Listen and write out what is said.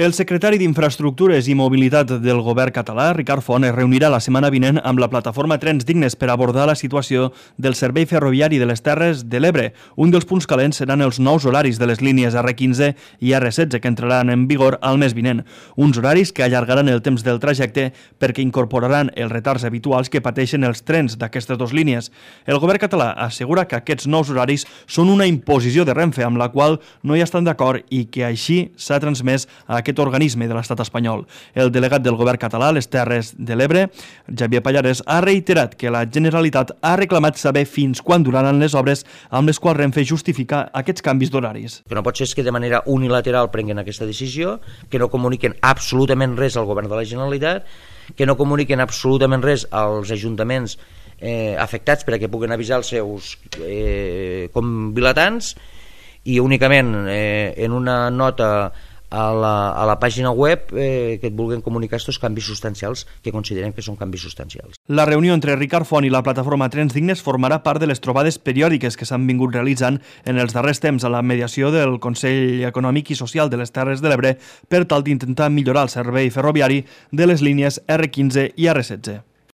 El secretari d'Infraestructures i Mobilitat del govern català, Ricard Font, es reunirà la setmana vinent amb la plataforma Trens Dignes per abordar la situació del servei ferroviari de les Terres de l'Ebre. Un dels punts calents seran els nous horaris de les línies R15 i R16 que entraran en vigor al mes vinent. Uns horaris que allargaran el temps del trajecte perquè incorporaran els retards habituals que pateixen els trens d'aquestes dues línies. El govern català assegura que aquests nous horaris són una imposició de Renfe amb la qual no hi estan d'acord i que així s'ha transmès a aquest organisme de l'estat espanyol. El delegat del govern català a les Terres de l'Ebre, Xavier Pallares, ha reiterat que la Generalitat ha reclamat saber fins quan duraran les obres amb les quals Renfe justifica aquests canvis d'horaris. Que no pot ser que de manera unilateral prenguen aquesta decisió, que no comuniquen absolutament res al govern de la Generalitat, que no comuniquen absolutament res als ajuntaments afectats perquè puguen avisar els seus convilatants i únicament en una nota a la pàgina web que et vulguin comunicar aquests canvis substancials que consideren que són canvis substancials. La reunió entre Ricard Font i la plataforma Trens Dignes formarà part de les trobades periòdiques que s'han vingut realitzant en els darrers temps a la mediació del Consell Econòmic i Social de les Terres de l'Ebre per tal d'intentar millorar el servei ferroviari de les línies R15 i R16.